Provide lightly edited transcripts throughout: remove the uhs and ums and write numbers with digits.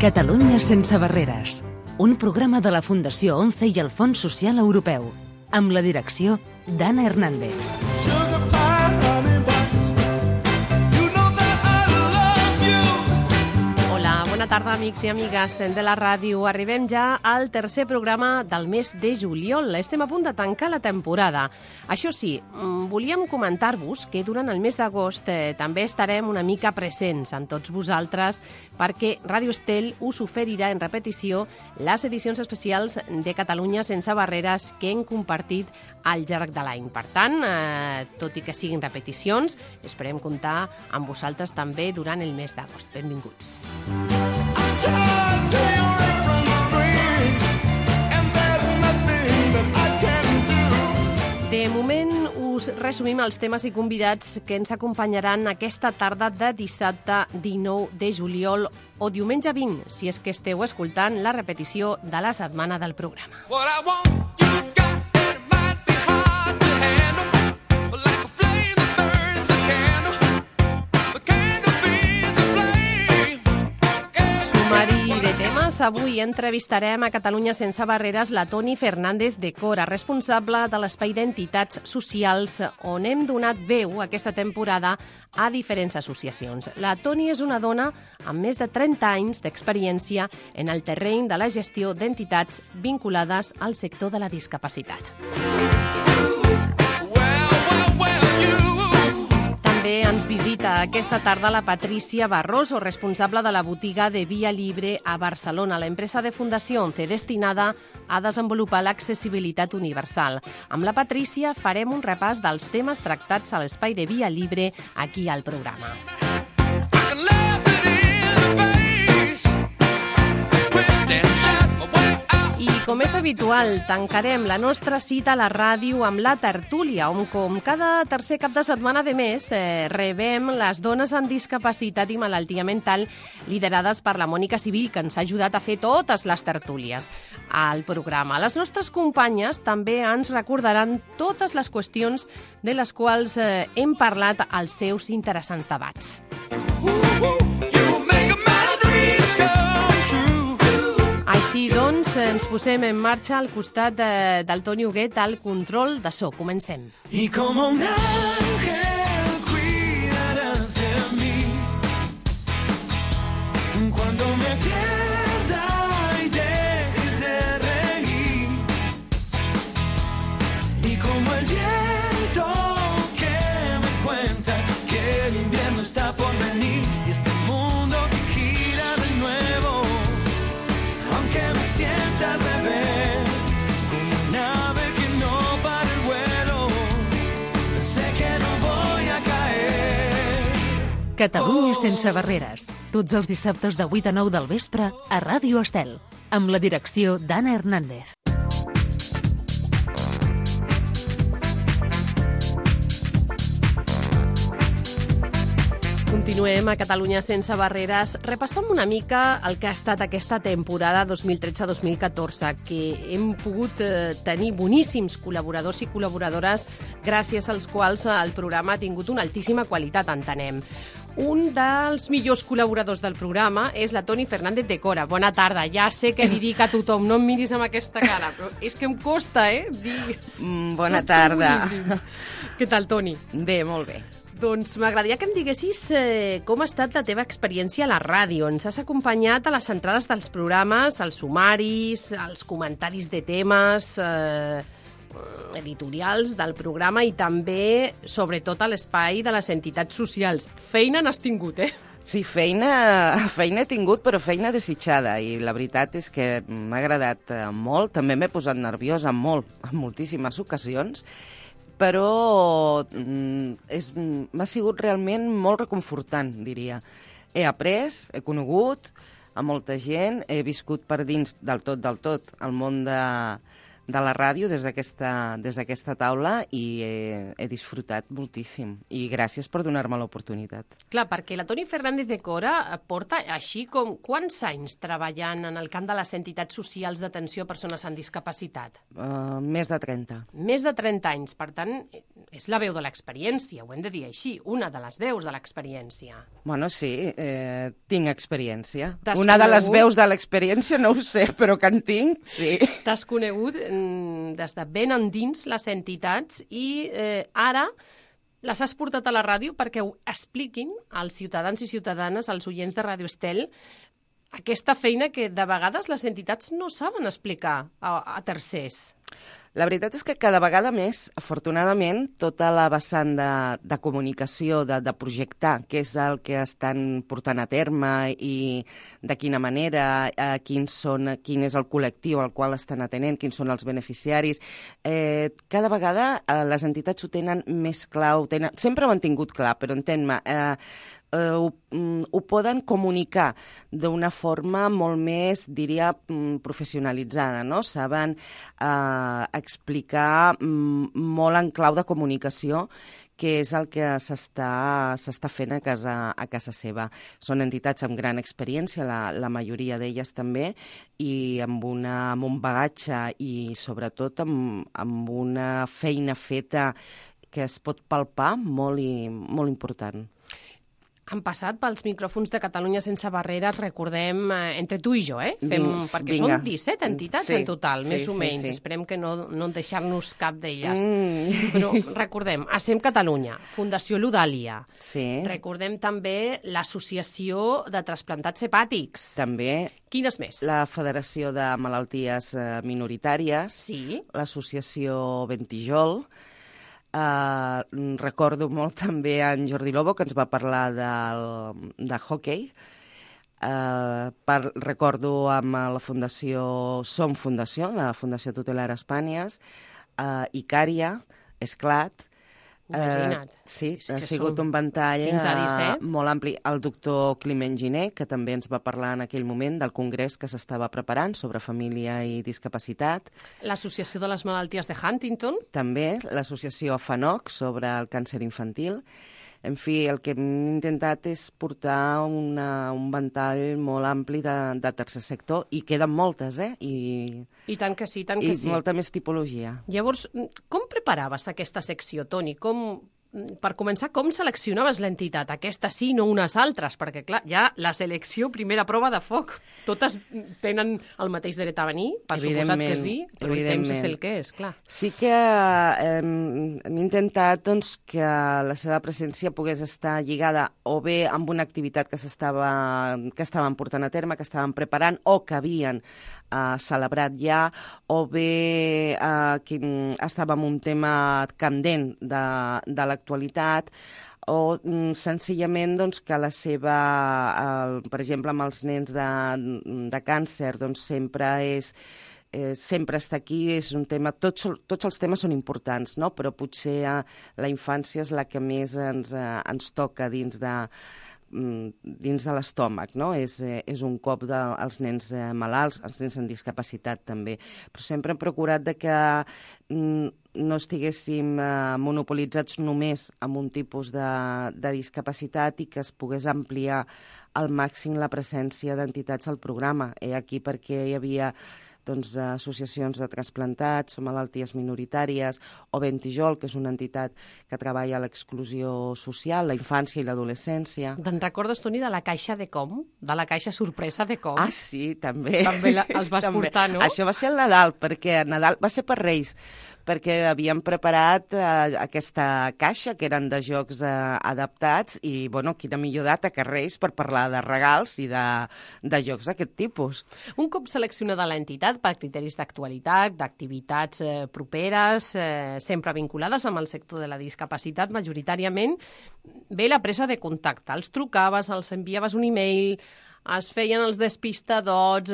Catalunya sense barreres, un programa de la Fundació ONCE i el Fons Social Europeu, amb la direcció d'Anna Hernández. Bona tarda, amics i amigues de la ràdio. Arribem ja al tercer programa del mes de juliol. Estem a punt de tancar la temporada. Això sí, volíem comentar-vos que durant el mes d'agost també estarem una mica presents amb tots vosaltres perquè Ràdio Estel us oferirà en repetició les edicions especials de Catalunya sense barreres que hem compartit al llarg de l'any. Per tant, tot i que siguin repeticions, esperem comptar amb vosaltres també durant el mes d'agost. Benvinguts. De moment us resumim els temes i convidats que ens acompanyaran aquesta tarda de dissabte 19 de juliol o diumenge 20, si és que esteu escoltant la repetició de la setmana del programa. Avui entrevistarem a Catalunya sense barreres la Toni Fernández de Cora, responsable de l'Espai d'Entitats Socials, on hem donat veu aquesta temporada a diferents associacions. La Toni és una dona amb més de 30 anys d'experiència en el terreny de la gestió d'entitats vinculades al sector de la discapacitat. També ens visita aquesta tarda la Patricia Barroso, responsable de la botiga de Via Libre a Barcelona, l'empresa de Fundació ONCE destinada a desenvolupar l'accessibilitat universal. Amb la Patricia farem un repàs dels temes tractats a l'espai de Via Libre aquí al programa. I com és habitual, tancarem la nostra cita a la ràdio amb la tertúlia, on com cada tercer cap de setmana de mes rebem les dones amb discapacitat i malaltia mental liderades per la Mònica Civil, que ens ha ajudat a fer totes les tertúlies al programa. Les nostres companyes també ens recordaran totes les qüestions de les quals hem parlat als seus interessants debats. Així doncs, ens posem en marxa al costat del Toni Huguet al control de so. Comencem. I com un ángel cuidarás de mí cuando me pierda y deje de reír y como el viento que me cuenta que el invierno está por venir y este mundo que gira de nuevo aunque me sienta al revés, como una ave que no para el vuelo, sé que no voy a caer. Catalunya sense barreres, tots els dissabtes de 8 a 9 del vespre a Ràdio Estel, amb la direcció d'Anna Hernández. Continuem a Catalunya sense barreres, repassant una mica el que ha estat aquesta temporada 2013-2014, que hem pogut tenir boníssims col·laboradors i col·laboradores gràcies als quals el programa ha tingut una altíssima qualitat, entenem. Un dels millors col·laboradors del programa és la Toni Fernández de Cora. Bona tarda, ja sé que li dic a tothom, no em miris amb aquesta cara, però és que em costa, dir... Bona tarda. Què tal, Toni? Bé, molt bé. Doncs m'agradaria que em diguessis com ha estat la teva experiència a la ràdio. Ens has acompanyat a les entrades dels programes, als sumaris, als comentaris de temes editorials del programa i també, sobretot, a l'espai de les entitats socials. Feina n'has tingut, Sí, feina he tingut, però feina desitjada, i la veritat és que m'ha agradat molt. També m'he posat nerviosa en moltíssimes ocasions, però m'ha sigut realment molt reconfortant, diria. He après, he conegut a molta gent, he viscut per dins del tot el món la ràdio des d'aquesta taula i he disfrutat moltíssim. I gràcies per donar-me l'oportunitat. Clar, perquè la Toni Fernández de Cora porta així com quants anys treballant en el camp de les entitats socials d'atenció a persones amb discapacitat? Més de 30. Més de 30 anys, per tant, és la veu de l'experiència, ho hem de dir així, una de les veus de l'experiència. Bueno, sí, tinc experiència. Una de les veus de l'experiència no ho sé, però que en tinc, sí. T'has conegut des de ben endins les entitats i ara les has portat a la ràdio perquè ho expliquin als ciutadans i ciutadanes, als oients de Ràdio Estel, aquesta feina que de vegades les entitats no saben explicar a tercers. La veritat és que cada vegada més, afortunadament, tota la vessant de comunicació, de projectar què és el que estan portant a terme i de quina manera, quin és el col·lectiu al qual estan atenent, quins són els beneficiaris. Cada vegada les entitats ho tenen més clar, sempre ho han tingut clar, però entén-me, ho poden comunicar d'una forma molt més, diria, professionalitzada, no? Saben explicar molt en clau de comunicació què és el que s'està fent a casa seva. Són entitats amb gran experiència, la majoria d'elles també, i amb un bagatge i sobretot amb una feina feta que es pot palpar molt important. Han passat pels micròfons de Catalunya Sense Barreres, recordem, entre tu i jo, perquè són 17 entitats en total, més o menys. Esperem que no deixar-nos cap d'elles. Però recordem, ASEM Catalunya, Fundació Ludàlia, recordem també l'Associació de Trasplantats Hepàtics. També. Quines més? La Federació de Malalties Minoritàries, l'Associació Ventijol. Recordo molt també en Jordi Lobo, que ens va parlar de hockey. Recordo amb la Fundació Som Fundació, la Fundació Tutelar Espanyes, Icària, Esclat. Imagina't. Sí, ha sigut un ventall molt ampli. El doctor Climent Giner, que també ens va parlar en aquell moment del congrés que s'estava preparant sobre família i discapacitat. L'Associació de les Malalties de Huntington. També, l'associació FANOC sobre el càncer infantil. En fi, el que hem intentat és portar un ventall molt ampli de tercer sector, i queden moltes, I tant que sí, tant que sí. I molta més tipologia. Llavors, com preparaves aquesta secció, Toni? Per començar, com seleccionaves l'entitat? Aquesta sí, no unes altres, perquè, clar, ja la selecció, primera prova de foc. Totes tenen el mateix dret a venir, per suposat que sí, però el temps és el que és, clar. Sí que hem intentat que la seva presència pogués estar lligada o bé amb una activitat que estaven portant a terme, que estaven preparant o que havien celebrat ja, o bé que estava en un tema candent de l'actualitat, o senzillament que la seva, per exemple, amb els nens de càncer, sempre està aquí, és un tema, tots els temes són importants, no? Però potser la infància és la que més ens toca dins de l'estómac, no? És un cop dels nens malalts, els nens amb discapacitat també. Però sempre hem procurat que no estiguéssim monopolitzats només amb un tipus de discapacitat i que es pogués ampliar al màxim la presència d'entitats al programa. Aquí perquè hi havia associacions de trasplantats o malalties minoritàries, o Ventijol, que és una entitat que treballa a l'exclusió social, la infància i l'adolescència. Te'n recordes, Toni, de la caixa de com? De la caixa sorpresa de com? Ah, sí, també. També els vas portar, no? Això va ser el Nadal, perquè Nadal va ser per Reis, perquè havíem preparat aquesta caixa, que eren de jocs adaptats, i, bueno, quina millor data que Reis per parlar de regals i de jocs d'aquest tipus. Un cop seleccionada l'entitat per criteris d'actualitat, d'activitats properes, sempre vinculades amb el sector de la discapacitat, majoritàriament, ve la presa de contacte. Els trucaves, els enviaves un e-mail, es feien els despistadots,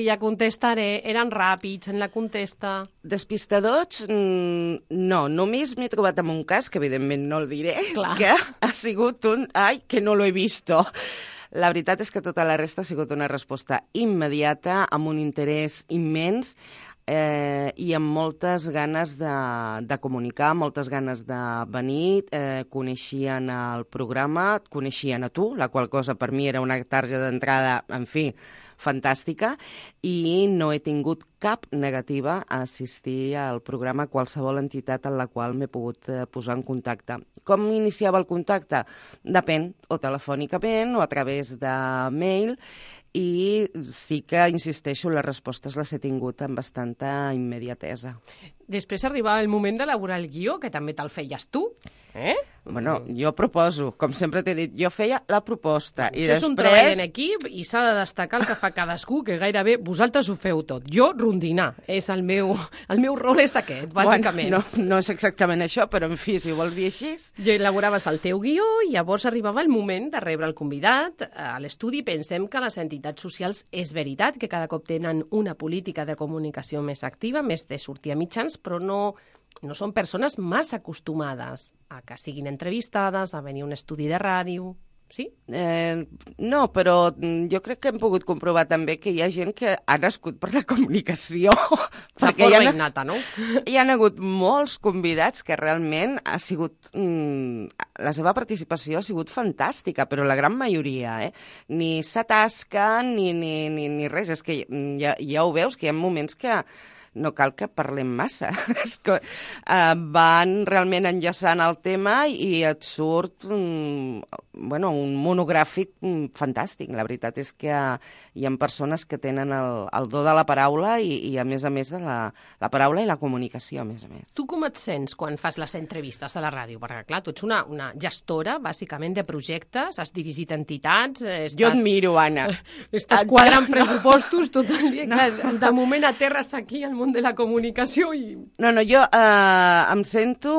ja contestaré, eren ràpids en la contesta. Despistadots, no, només m'he trobat amb un cas, que evidentment no el diré, que ha sigut ai, que no lo he visto. La veritat és que tota la resta ha sigut una resposta immediata, amb un interès immens, i amb moltes ganes de comunicar, moltes ganes de venir, coneixien el programa, et coneixien a tu, la qual cosa per mi era una tarja d'entrada, en fi, fantàstica, i no he tingut cap negativa a assistir al programa a qualsevol entitat en la qual m'he pogut posar en contacte. Com iniciava el contacte? Depèn, o telefònicament o a través de mail, i sí que, insisteixo, les respostes les he tingut amb bastanta immediatesa. Després arribava el moment d'elaborar el guió, que també te'l feies tu, eh? Bueno, jo proposo, com sempre t'he dit, jo feia la proposta. I això és un treball en equip i s'ha de destacar el que fa cadascú, que gairebé vosaltres ho feu tot. Jo, rondinar, és el meu rol és aquest, bàsicament. Bueno, no és exactament això, però en fi, si ho vols dir així... Jo elaboraves el teu guió i llavors arribava el moment de rebre el convidat a l'estudi. Pensem que les entitats socials és veritat que cada cop tenen una política de comunicació més activa, més de sortir a mitjans, però no són persones massa acostumades a que siguin entrevistades, a venir a un estudi de ràdio, sí? No, però jo crec que hem pogut comprovar també que hi ha gent que ha nascut per la comunicació. De forma innata, no? Hi ha hagut molts convidats que realment ha sigut... la seva participació ha sigut fantàstica, però la gran majoria, ni s'atasquen ni res. És que ja ho veus, que hi ha moments que no cal que parlem massa. És que van realment enllaçant el tema i et surt un monogràfic fantàstic. La veritat és que hi ha persones que tenen el do de la paraula i a més de la paraula i la comunicació, a més a més. Tu com et sents quan fas les entrevistes a la ràdio? Perquè, clar, tu ets una gestora, bàsicament, de projectes, has dirigit entitats... Jo et miro, Anna. Estàs quadrant pressupostos tot el dia. Clar, de moment aterres aquí al món de la comunicació i... No, jo em sento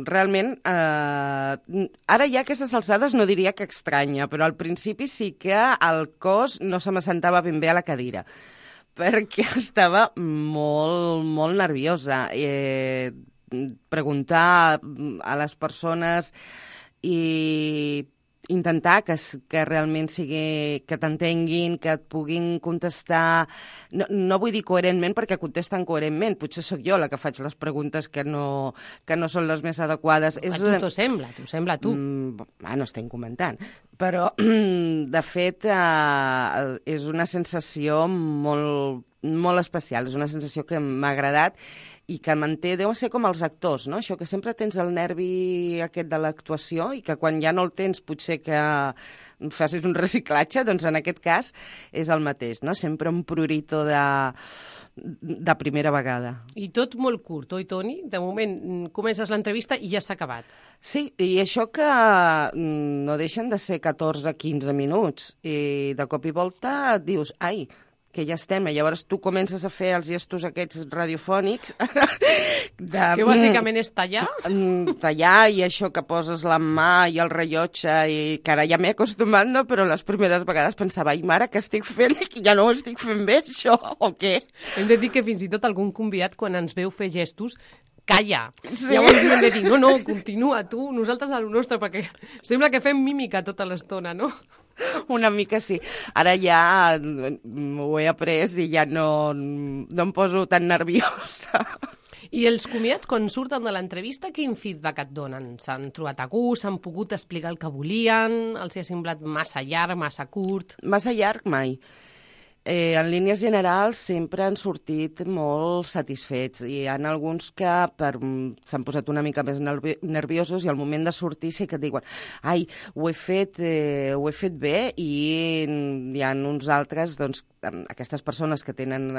realment... Ara ja a aquestes alçades no diria que estranya, però al principi sí que el cos no se m'assentava ben bé a la cadira, perquè estava molt, molt nerviosa. Preguntar a les persones i intentar que realment sigui, que t'entenguin, que et puguin contestar. No vull dir coherentment perquè contesten coherentment. Potser sóc jo la que faig les preguntes que no són les més adequades. A tu t'ho sembla, a tu. No estem comentant. Però, de fet, és una sensació molt especial. És una sensació que m'ha agradat i que manté, deu ser com els actors, no? Això que sempre tens el nervi aquest de l'actuació i que quan ja no el tens potser que facis un reciclatge, doncs en aquest cas és el mateix, no? Sempre un prurito de primera vegada. I tot molt curt, oi, Toni? De moment comences l'entrevista i ja s'ha acabat. Sí, i això que no deixen de ser 14-15 minuts i de cop i volta et dius, ai, que ja estem, i llavors tu comences a fer els gestos aquests radiofònics que bàsicament és tallar? Tallar i això que poses la mà i el rellotge i que ara ja m'he acostumat, no? Però les primeres vegades pensava, ai mare, què estic fent? Que ja no ho estic fent bé, això, o què? Hem de dir que fins i tot algun convidat, quan ens veu fer gestos, calla. Sí. Llavors hem de dir, no, continua tu, nosaltres a lo nostre, perquè sembla que fem mímica tota l'estona, no? Una mica sí. Ara ja ho he après i ja no em poso tan nerviosa. I els convidats, quan surten de l'entrevista, quin feedback et donen? S'han trobat a gust? S'han pogut explicar el que volien? Els ha semblat massa llarg, massa curt? Massa llarg, mai. En línies generals sempre han sortit molt satisfets i hi ha alguns que s'han posat una mica més nerviosos i al moment de sortir sí que et diuen ai, ho he fet bé, i hi ha uns altres, doncs, aquestes persones que tenen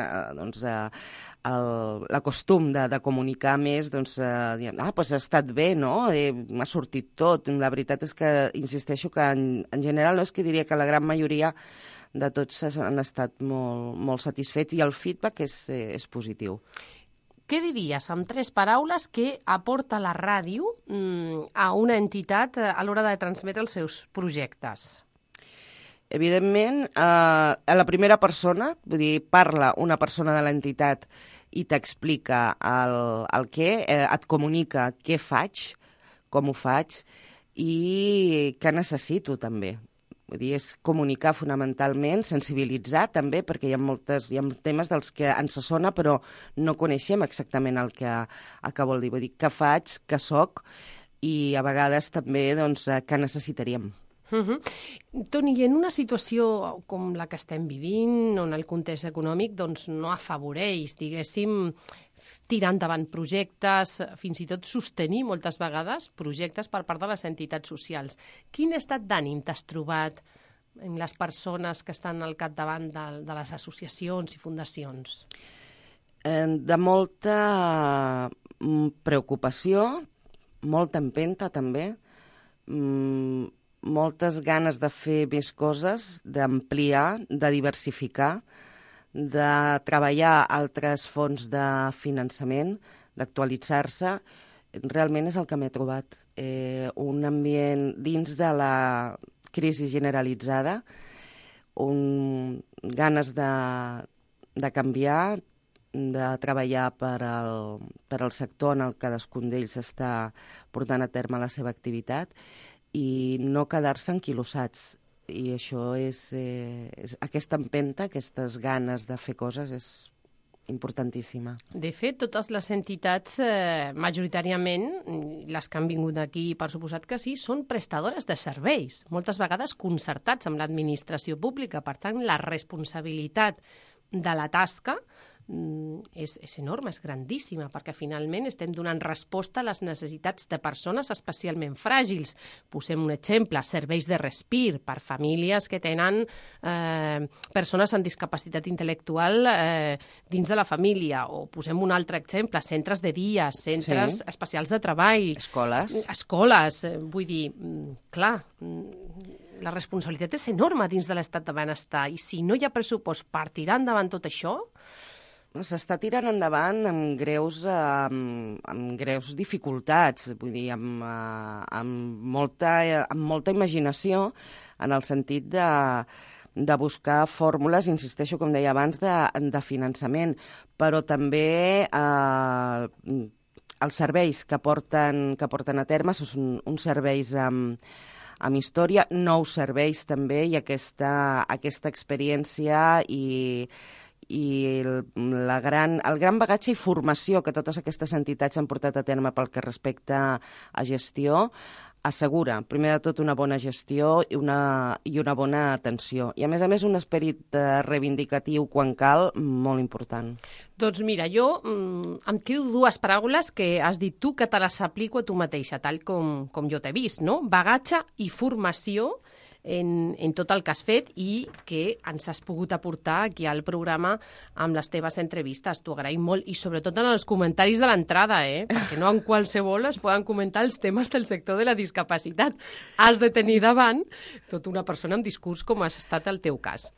l'acostum de comunicar més, doncs, dient, doncs ha estat bé, no? M'ha sortit tot. La veritat és que, insisteixo, que en general no és que diria que la gran majoria de tots han estat molt satisfets i el feedback és positiu. Què diries, amb 3 paraules, que aporta la ràdio a una entitat a l'hora de transmetre els seus projectes? Evidentment, a la primera persona, vull dir, parla una persona de l'entitat i t'explica el què, et comunica què faig, com ho faig i què necessito també. Vull dir, és comunicar fonamentalment, sensibilitzar també, perquè hi ha temes dels que ens sona però no coneixem exactament el que vol dir. Vull dir, què faig, què soc, i a vegades també doncs, què necessitaríem. Toni, en una situació com la que estem vivint, on el context econòmic doncs, no afavoreix, diguéssim, tirar endavant projectes, fins i tot sostenir moltes vegades projectes per part de les entitats socials. Quin estat d'ànim t'has trobat en les persones que estan al capdavant de les associacions i fundacions? De molta preocupació, molta empenta també, moltes ganes de fer més coses, d'ampliar, de diversificar, de treballar altres fonts de finançament, d'actualitzar-se. Realment és el que m'he trobat. Un ambient dins de la crisi generalitzada, ganes de canviar, de treballar per al sector en el que cadascun d'ells està portant a terme la seva activitat i no quedar-se enquilossats. I això és aquesta empenta, aquestes ganes de fer coses és importantíssima. De fet, totes les entitats, majoritàriament, les que han vingut aquí, per suposat que sí, són prestadores de serveis, moltes vegades concertats amb l'administració pública. Per tant, la responsabilitat de la tasca és enorme, és grandíssima, perquè finalment estem donant resposta a les necessitats de persones especialment fràgils. Posem un exemple, serveis de respir per famílies que tenen persones amb discapacitat intel·lectual dins de la família, o posem un altre exemple, centres de dia, centres especials de treball. Escoles, vull dir, clar, la responsabilitat és enorme dins de l'estat de benestar, i si no hi ha pressupost per tirar endavant tot això, s'està tirant endavant amb greus dificultats, vull dir, amb molta imaginació, en el sentit de buscar fórmules, insisteixo, com deia abans, de finançament, però també els serveis que porten a terme són uns serveis amb història, nous serveis també, i aquesta experiència i el gran bagatge i formació que totes aquestes entitats han portat a terme pel que respecta a gestió assegura, primer de tot, una bona gestió i una bona atenció. I, a més, un esperit reivindicatiu, quan cal, molt important. Doncs mira, jo em quedo dues paraules que has dit tu, que te les aplico a tu mateixa, tal com jo t'he vist, no? Bagatge i formació en tot el que has fet i que ens has pogut aportar aquí al programa amb les teves entrevistes. T'ho agraïm molt, i sobretot en els comentaris de l'entrada, perquè no en qualsevol es poden comentar els temes del sector de la discapacitat. Has de tenir davant tota una persona amb discurs com has estat el teu cas.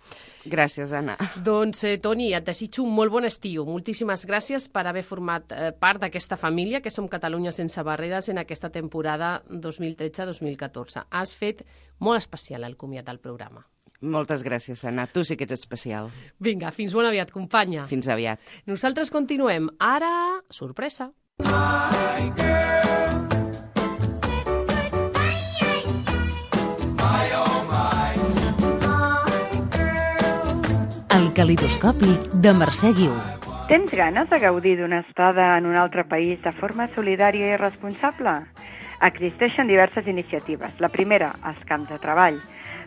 Gràcies, Anna. Doncs, Toni, et desitjo un molt bon estiu. Moltíssimes gràcies per haver format part d'aquesta família que som Catalunya sense barreres en aquesta temporada 2013-2014. Has fet molt especial el comiat del programa. Moltes gràcies, Anna. Tu sí que ets especial. Vinga, fins molt aviat, companya. Fins aviat. Nosaltres continuem. Ara, sorpresa. El calidoscopi de Mercè Guiu. Tens ganes de gaudir d'una estada en un altre país de forma solidària i responsable? Existeixen diverses iniciatives. La primera, els camps de treball.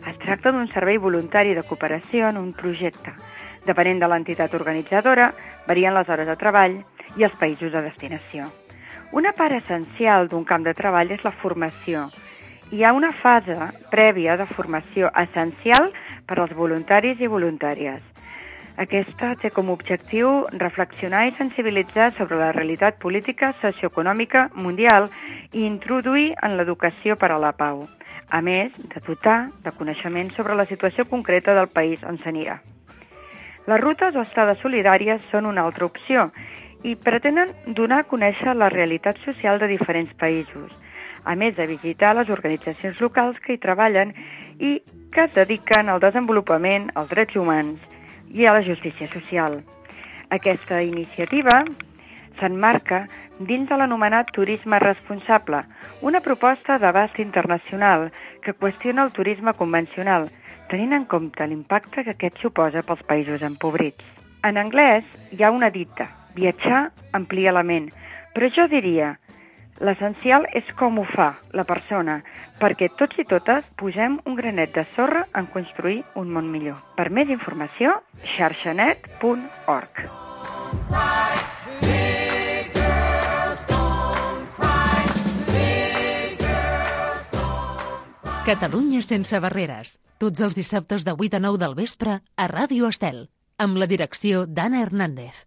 Es tracta d'un servei voluntari de cooperació en un projecte. Depenent de l'entitat organitzadora, varien les hores de treball i els països de destinació. Una part essencial d'un camp de treball és la formació. Hi ha una fase prèvia de formació essencial per als voluntaris i voluntàries. Aquesta té com a objectiu reflexionar i sensibilitzar sobre la realitat política, socioeconòmica, mundial i introduir en l'educació per a la pau, a més de dotar de coneixement sobre la situació concreta del país on s'anirà. Les rutes o estades solidàries són una altra opció i pretenen donar a conèixer la realitat social de diferents països, a més de visitar les organitzacions locals que hi treballen i que es dediquen al desenvolupament, als drets humans i a la justícia social. Aquesta iniciativa s'emmarca dins de l'anomenat turisme responsable, una proposta d'abast internacional que qüestiona el turisme convencional, tenint en compte l'impacte que aquest suposa pels països empobrits. En anglès hi ha una dita, viatjar amplia la ment, però jo diria, l'essencial és com ho fa la persona, perquè tots i totes posem un granet de sorra en construir un món millor. Per més informació, xarxanet.org. Catalunya sense barreres. Tots els dissabtes de 8 a 9 del vespre a Ràdio Estel, amb la direcció d'Anna Hernández.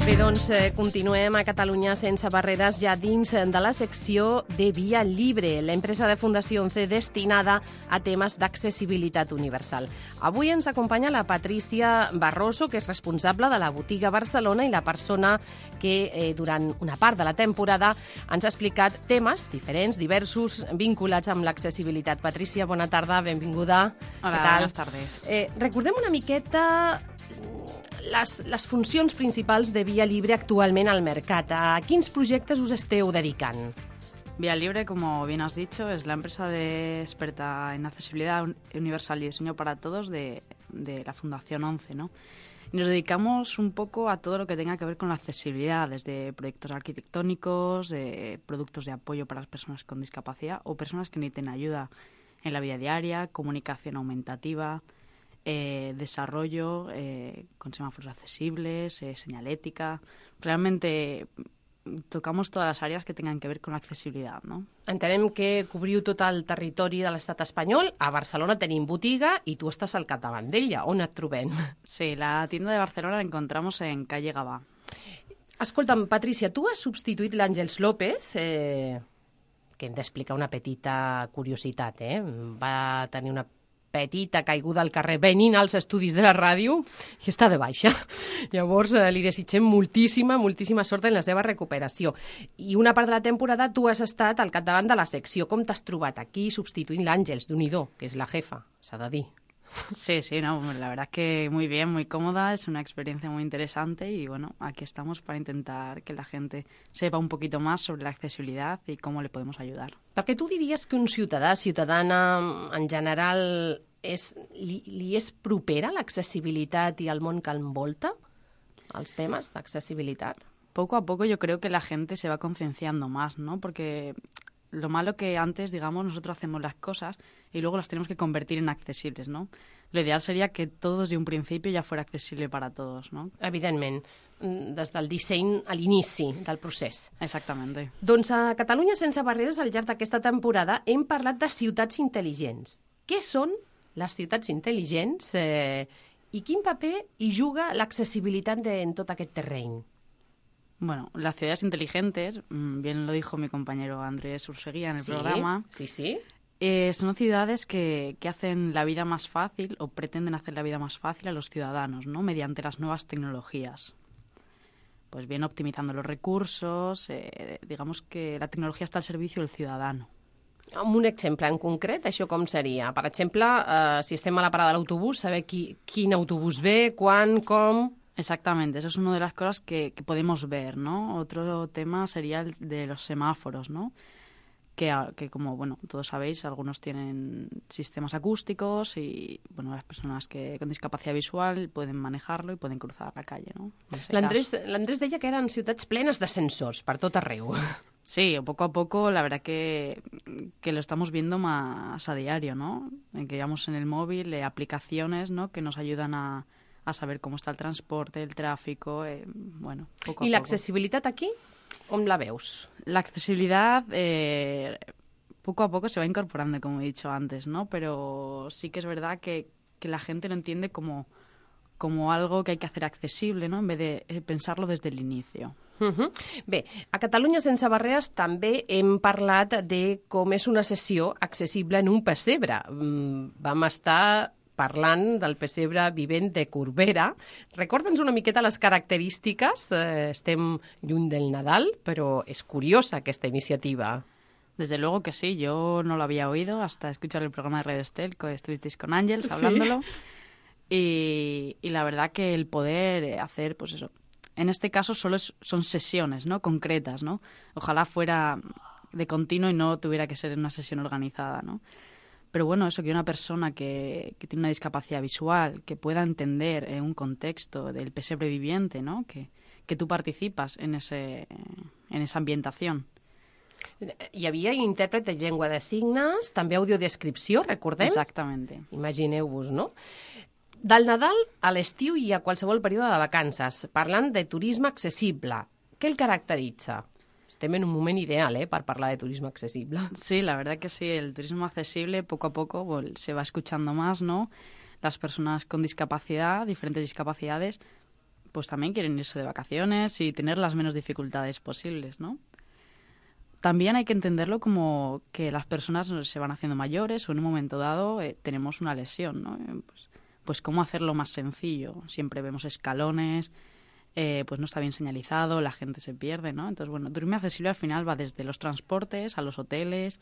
Bé, doncs continuem a Catalunya sense barreres ja dins de la secció de Via Libre, l'empresa de Fundació 11 destinada a temes d'accessibilitat universal. Avui ens acompanya la Patrícia Barroso, que és responsable de la botiga Barcelona i la persona que durant una part de la temporada ens ha explicat temes diferents, diversos, vinculats amb l'accessibilitat. Patrícia, bona tarda, benvinguda. Hola, buenas tardes. Recordem una miqueta les funcions principals de Via Libre actualment al mercat. A quins projectes us esteu dedicant? Via Libre, como bien has dicho, es la empresa experta en accesibilidad universal y diseño para todos de la Fundación 11, ¿no? Y nos dedicamos un poco a todo lo que tenga que ver con la accesibilidad, desde proyectos arquitectónicos, productos de apoyo para las personas con discapacidad o personas que necesiten ayuda en la vida diaria, comunicación aumentativa, desarrollo con semáforos accesibles, señalética. Realmente tocamos todas las áreas que tengan que ver con la accesibilidad, ¿no? Entenem que cobriu tot el territori de l'estat espanyol. A Barcelona tenim botiga i tu estàs al capdavant d'ella. On et trobem? Sí, la tienda de Barcelona la encontramos en calle Gavà. Escolta'm, Patrícia, tu has substituït l'Àngels López, que hem d'explicar una petita curiositat, Va tenir una petita caiguda al carrer venint als estudis de la ràdio i està de baixa. Llavors li desitgem moltíssima sort en la seva recuperació. I una part de la temporada tu has estat al capdavant de la secció. Com t'has trobat aquí substituint l'Àngels, Déu-n'hi-do, que és la jefa, s'ha de dir? Sí, no, la verdad es que muy bien, muy cómoda, es una experiencia muy interesante y bueno, aquí estamos para intentar que la gente sepa un poquito más sobre la accesibilidad y cómo le podemos ayudar. Perquè tu diries que un ciutadana en general li és propera l'accessibilitat i el món que envolta, els temes d'accessibilitat? Poco a poco yo creo que la gente se va concienciando más, ¿no? Porque lo malo que antes, digamos, nosotros hacemos las cosas y luego las tenemos que convertir en accesibles, ¿no? Lo ideal sería que todo desde un principio ya fuera accesible para todos, ¿no? Evidentment, des del disseny a l'inici del procés. Exactamente. Doncs a Catalunya sense barreres, al llarg d'aquesta temporada, hem parlat de ciutats intel·ligents. Què són les ciutats intel·ligents i quin paper hi juga l'accessibilitat en tot aquest terreny? Bueno, las ciudades inteligentes, bien lo dijo mi compañero Andrés Urseguía en el programa. Sí. Son ciudades que hacen la vida más fácil o pretenden hacer la vida más fácil a los ciudadanos, ¿no? Mediante las nuevas tecnologías. Pues bien, optimizando los recursos, digamos que la tecnología está al servicio del ciudadano. Amb un exemple en concret, això com seria? Per exemple, si estem a la parada de l'autobús, saber quin autobús ve, quan, com... Exactamente, eso es una de las cosas que podemos ver, ¿no? Otro tema sería el de los semáforos, ¿no? Que como, bueno, todos sabéis, algunos tienen sistemas acústicos y, bueno, las personas con discapacidad visual pueden manejarlo y pueden cruzar la calle, ¿no? L'Andrés deia que eren ciutats plenes de sensors per tot arreu. Sí, poco a poco, la verdad que lo estamos viendo más a diario, ¿no? Que llevamos en el móvil aplicaciones, ¿no? Que nos ayudan a saber cómo está el transporte, el tráfico, bueno, poco a poco. ¿Y la accesibilitat aquí? ¿On la veus? La accesibilidad poco a poco se va incorporando, como he dicho antes, ¿no? Pero sí que es verdad que la gente lo entiende como algo que hay que hacer accesible, ¿no? En vez de pensarlo desde el inicio. Bé, a Catalunya sense barreres també hem parlat de com és una sessió accessible en un pessebre. Vam estar parlant del pessebre vivent de Corbera. Recorda'ns una miqueta les característiques. Estem lluny del Nadal, però és curiosa aquesta iniciativa. Desde luego que sí, yo no lo había oído hasta escuchar el programa de Red Estel, que estuvisteis con Àngels hablándolo. Y la verdad que el poder hacer, pues eso, en este caso solo son sesiones, ¿no? Concretas, ¿no? Ojalá fuera de continuo y no tuviera que ser una sesión organizada, ¿no? Pero bueno, eso, que una persona que tiene una discapacidad visual, que pueda entender un contexto del pesebre viviente, ¿no? Que tú participas en esa ambientación. Hi havia intèrpret de llengua de signes, també audiodescripció, recordem? Exactament. Imagineu-vos, no? Del Nadal a l'estiu i a qualsevol període de vacances, parlant de turisme accessible. Què el caracteritza? Estem en un moment ideal, per parlar de turismo accesible. Sí, la verdad que sí. El turismo accesible poco a poco se va escuchando más, ¿no? Las personas con discapacidad, diferentes discapacidades, pues también quieren irse de vacaciones y tener las menos dificultades posibles, ¿no? También hay que entenderlo como que las personas se van haciendo mayores o en un momento dado tenemos una lesión, ¿no? Pues cómo hacerlo más sencillo. Siempre vemos escalones, pues no está bien señalizado, la gente se pierde, ¿no? Entonces, bueno, turismo accesible al final va desde los transportes a los hoteles,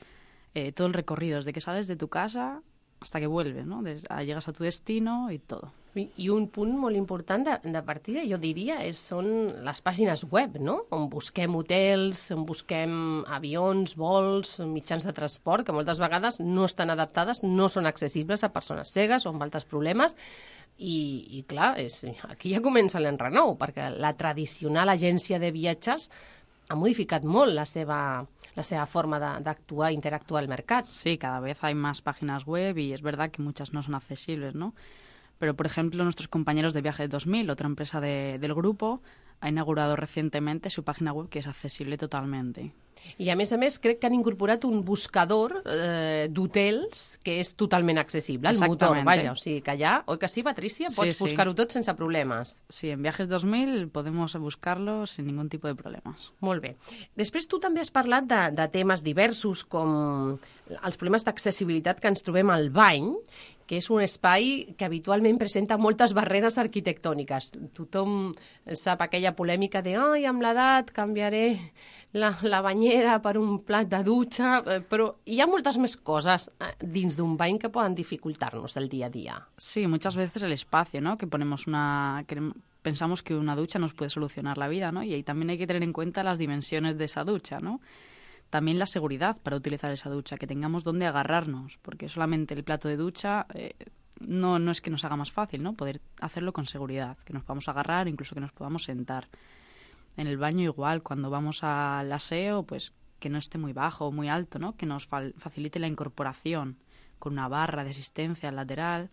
todo el recorrido, desde que sales de tu casa hasta que vuelves, ¿no? Llegas a tu destino y todo. I un punt molt important de partida, jo diria, són les pàgines web, no? On busquem hotels, on busquem avions, vols, mitjans de transport, que moltes vegades no estan adaptades, no són accessibles a persones cegues o amb altres problemes. I clar, aquí ja comença l'enrenou, perquè la tradicional agència de viatges ha modificat molt la seva forma d'actuar, interactuar al mercat. Sí, cada vez hay más páginas web y es verdad que muchas no son accesibles, ¿no? Pero, por ejemplo, nuestros compañeros de Viajes 2000, otra empresa del grupo, ha inaugurado recientemente su página web que es accesible totalmente. I, a més, crec que han incorporat un buscador d'hotels que és totalment accessible, el motor, vaja, o sigui que allà, oi que sí, Patricia? Pots buscar-ho tot sense problemes. Sí, en Viajes 2000 podemos buscarlo sin ningún tipo de problemes. Molt bé. Després tu també has parlat de temes diversos com els problemes d'accessibilitat que ens trobem al bany, que és un espai que habitualment presenta moltes barreres arquitectòniques. Tothom sap aquella polèmica de «Ai, amb l'edat canviaré la banyera per un plat de dutxa», però hi ha moltes més coses dins d'un bany que poden dificultar-nos el dia a dia. Sí, muchas veces el espacio, ¿no? Que pensamos que una ducha nos puede solucionar la vida, ¿no? Y ahí también hay que tener en cuenta las dimensiones de esa ducha, ¿no? También la seguridad para utilizar esa ducha, que tengamos dónde agarrarnos, porque solamente el plato de ducha no es que nos haga más fácil, ¿no? Poder hacerlo con seguridad, que nos podamos agarrar, incluso que nos podamos sentar. En el baño igual, cuando vamos al aseo, pues que no esté muy bajo o muy alto, ¿no? Que nos facilite la incorporación con una barra de asistencia lateral.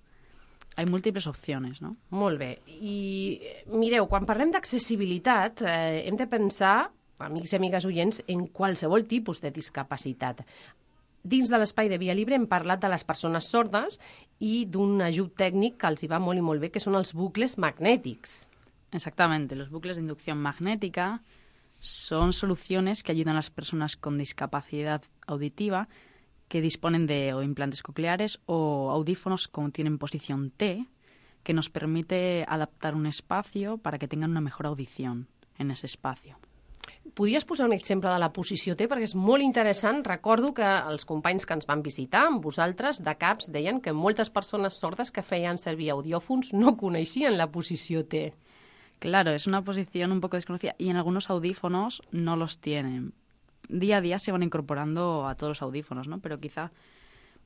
Hay múltiples opcions, no? Molt bé. I mireu, quan parlem d'accessibilitat, hem de pensar, amics i amigues oients, en qualsevol tipus de discapacitat. Dins de l'espai de Via Libre hem parlat de les persones sordes i d'un ajut tècnic que els hi va molt i molt bé, que són els bucles magnètics. Exactamente, los bucles de inducción magnética son soluciones que ayudan a las personas con discapacidad auditiva que disponen de o implantes cocleares o audífonos que tienen posición T, que nos permite adaptar un espacio para que tengan una mejor audición en ese espacio. Podries posar un exemple de la posició T, perquè és molt interessant. Recordo que els companys que ens van visitar, amb vosaltres, de CAPS, deien que moltes persones sordes que feien servir audiòfons no coneixien la posició T. Claro, es una posición un poco desconocida y en algunos audífonos no los tienen. Día a día se van incorporando a todos los audífonos, ¿no? Pero quizá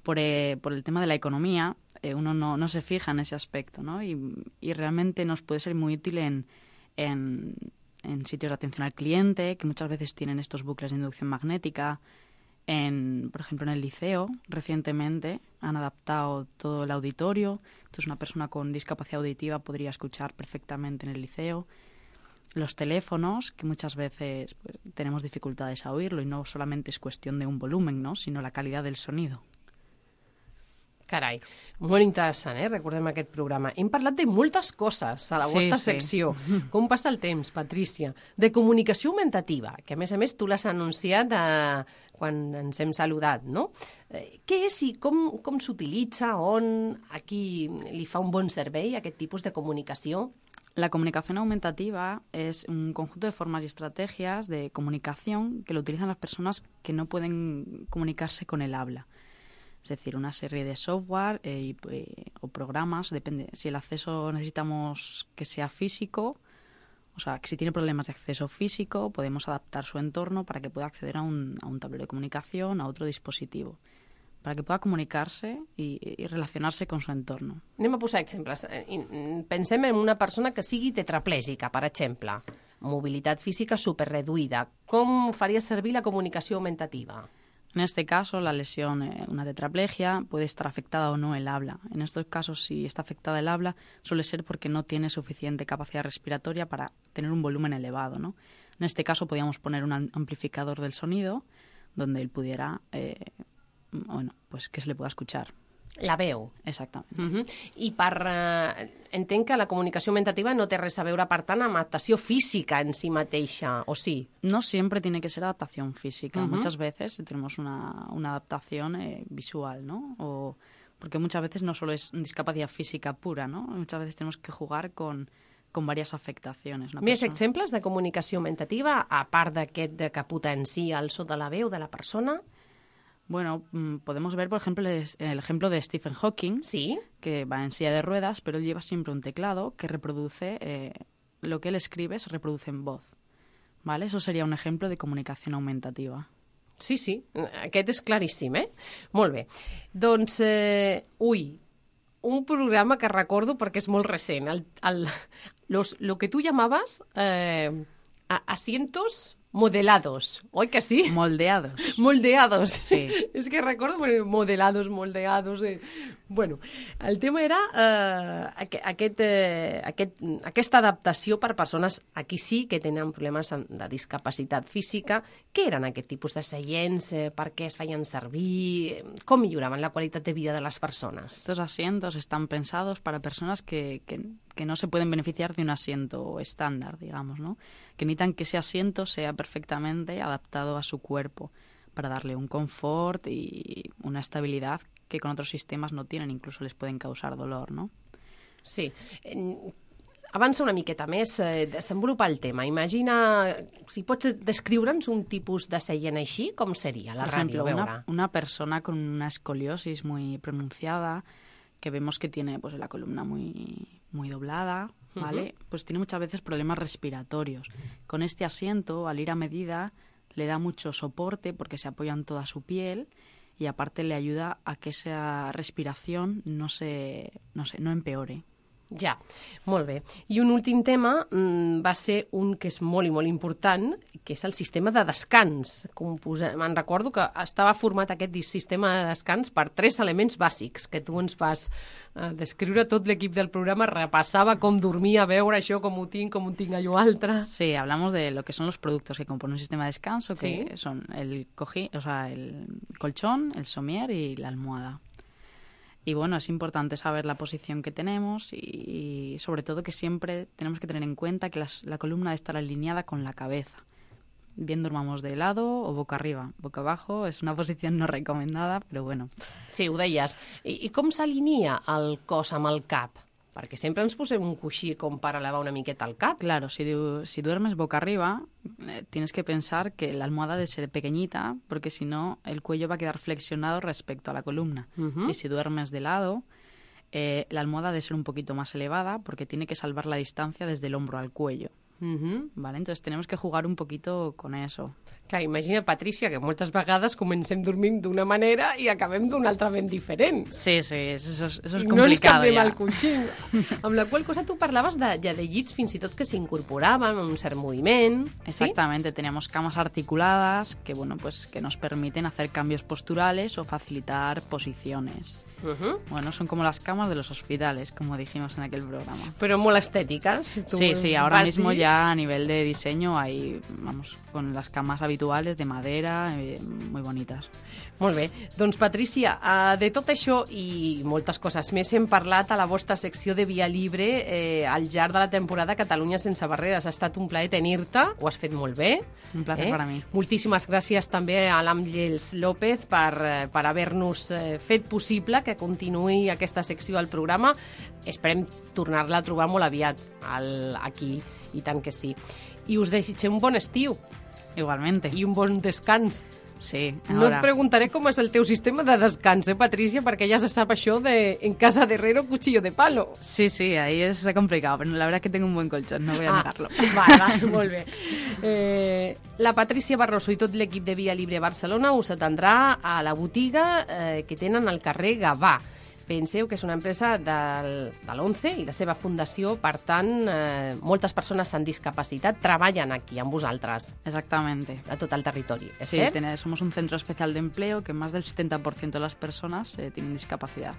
por el tema de la economía uno no se fija en ese aspecto, ¿no? Y realmente nos puede ser muy útil en sitios de atención al cliente, que muchas veces tienen estos bucles de inducción magnética. Por ejemplo, en el liceo, recientemente han adaptado todo el auditorio. Entonces, una persona con discapacidad auditiva podría escuchar perfectamente en el liceo. Los teléfonos, que muchas veces pues, tenemos dificultades a oírlo y no solamente es cuestión de un volumen, ¿no? Sino la calidad del sonido. Carai, molt interessant, Recordem aquest programa. Hem parlat de moltes coses a la vostra secció. Com passa el temps, Patrícia? De comunicació augmentativa, que a més tu l'has anunciat quan ens hem saludat, no? Què és i com s'utilitza, on, a qui li fa un bon servei aquest tipus de comunicació? La comunicación aumentativa es un conjunto de formas y estrategias de comunicación que lo utilizan las personas que no pueden comunicarse con el habla. Es decir, una serie de software o programas, depende. Si el acceso necesitamos que sea físico, o sea, que si tiene problemas de acceso físico, podemos adaptar su entorno para que pueda acceder a un tablero de comunicación, a otro dispositivo, para que pueda comunicarse i relacionar-se con su entorno. Anem a posar exemples. Pensem en una persona que sigui tetraplègica, per exemple. Mobilitat física superreduïda. Com faria servir la comunicació augmentativa? En este caso, la lesión, una tetraplegia, puede estar afectada o no el habla. En estos casos, si está afectada el habla, suele ser porque no tiene suficiente capacidad respiratoria para tener un volumen elevado, ¿no? En este caso, podríamos poner un amplificador del sonido donde él pudiera, pues que se le pueda escuchar. La veu. Exactament. I entenc que la comunicació augmentativa no té res a veure, per tant, amb adaptació física en si mateixa, ¿o sí? No siempre tiene que ser adaptación física. Muchas veces tenemos una adaptación visual, ¿no? Porque muchas veces no solo es discapacidad física pura, ¿no? Muchas veces tenemos que jugar con varias afectaciones. Més exemples de comunicació augmentativa, a part d'aquest que potencia el so de la veu de la persona? Bueno, podemos ver, por ejemplo, el ejemplo de Stephen Hawking, ¿sí?, que va en silla de ruedas, pero él lleva siempre un teclado que reproduce, lo que él escribe se reproduce en voz, ¿vale? Eso sería un ejemplo de comunicación augmentativa. Sí, sí, aquest és claríssim, Molt bé. Doncs, un programa que recordo perquè és molt recent, lo que tu llamaves asientos modelados, oi que sí? Moldeados. Moldeados. Sí. És que recordo modelados, moldeados. Bueno, el tema era aquesta adaptació per persones, aquí sí que tenen problemes de discapacitat física. Què eren aquest tipus de seients? Per què es feien servir? Com milloraven la qualitat de vida de les persones? Estos asientos están pensados para personas que no se pueden beneficiar de un asiento estándar, digamos, ¿no? Que necesitan que ese asiento sea perfectamente adaptado a su cuerpo para darle un confort y una estabilidad que con otros sistemas no tienen, incluso les pueden causar dolor, ¿no? Sí. Avança una miqueta més, desenvolupa el tema. Imagina, si pots descriure'ns un tipus de seient així, com seria la ràdio? Por ejemplo, una persona con una escoliosis muy pronunciada, que vemos que tiene pues la columna muy doblada, ¿vale? Pues tiene muchas veces problemas respiratorios. Con este asiento, al ir a medida, le da mucho soporte porque se apoya en toda su piel y aparte le ayuda a que esa respiración no empeore. Ja, molt bé. I un últim tema va ser un que és molt i molt important, que és el sistema de descans. Me'n recordo que estava format aquest sistema de descans per 3 elements bàsics, que tu ens vas descriure. Tot l'equip del programa repassava com dormia, a veure això, com ho tinc allò altre. Sí, hablamos de lo que son los productos que componen un sistema de descanso, que ¿sí? Son el colchón, el somier y la almohada. Y bueno, es importante saber la posición que tenemos y sobre todo que siempre tenemos que tener en cuenta que la columna debe estar alineada con la cabeza. Bien durmamos de lado o boca arriba. Boca abajo es una posición no recomendada, pero bueno. Sí, ho deies. I com s'alinea el cos amb el cap? Perquè sempre ens posem un coixí com per elevar una miqueta el cap. Claro, si duermes boca arriba, tienes que pensar que la almohada debe ser pequeñita, porque si no, el cuello va a quedar flexionado respecto a la columna. Y si duermes de lado, la almohada debe ser un poquito más elevada, porque tiene que salvar la distancia desde el hombro al cuello. ¿Vale? Entonces tenemos que jugar un poquito con eso. Clar, imagina, Patrícia, que moltes vegades comencem dormint d'una manera i acabem d'una altra ben diferent. Sí, eso es complicado. No ens canviem ja. el coixí. Amb la qual cosa tu parlaves de llits fins i tot que s'incorporaven amb un cert moviment. Exactamente, ¿sí? Teníamos camas articuladas que, bueno, pues que nos permiten hacer cambios posturales o facilitar posiciones. Bueno, son como las camas de los hospitales, como dijimos en aquel programa. Pero molt estètiques. Sí, ahora mismo ya a nivel de diseño hay, vamos, con las camas habituales de madera, muy bonitas. Molt bé. Doncs, Patrícia, de tot això i moltes coses més hem parlat a la vostra secció de Via Libre al llarg de la temporada Catalunya sense barreres. Ha estat un plaer tenir-te, ho has fet molt bé. Un plaer per a mi. Moltíssimes gràcies també a l'Àngels López per haver-nos fet possible que continuï aquesta secció al programa. Esperem tornar-la a trobar molt aviat aquí, i tant que sí. I us desitgem un bon estiu. Igualmente. I un bon descans. Sí, No et preguntaré com és el teu sistema de descans, Patricia, perquè ja se sap això de en casa de herrero, cuchillo de palo. Sí, ahí es complicado, pero la verdad es que tengo un buen colchón, no voy a negarlo. Vale, molt bé. La Patricia Barroso i tot l'equip de Via Libre Barcelona us atendrà a la botiga que tenen al carrer Gavà. Penseu que és una empresa de l'ONCE i la seva fundació, per tant, moltes persones amb discapacitat treballen aquí amb vosaltres. Exactamente. A tot el territori, ¿es sí, cert? Somos un centro especial de empleo que más del 70% de las personas tienen discapacidad.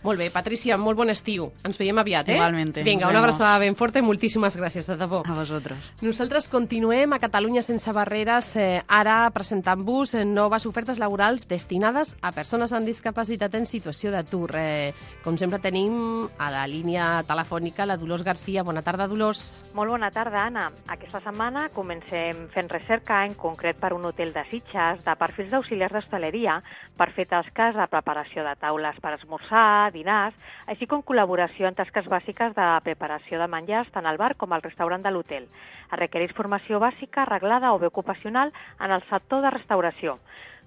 Molt bé, Patricia, molt bon estiu. Ens veiem aviat, Igualmente. Vinga, una abraçada ben forta i moltíssimes gràcies, de debò. A vosotros. Nosaltres continuem a Catalunya sense barreres, ara presentant-vos noves ofertes laborals destinades a persones amb discapacitat en situació d'atur. Com sempre tenim a la línia telefònica la Dolors Garcia. Bona tarda, Dolors. Molt bona tarda, Anna. Aquesta setmana comencem fent recerca, en concret per un hotel de Sitges, de perfils d'auxiliars d'hostaleria per fer tasques de preparació de taules per esmorzar, dinars, així com col·laboració en tasques bàsiques de preparació de menjars tant al bar com al restaurant de l'hotel. Es requereix formació bàsica, reglada o bé ocupacional en el sector de restauració.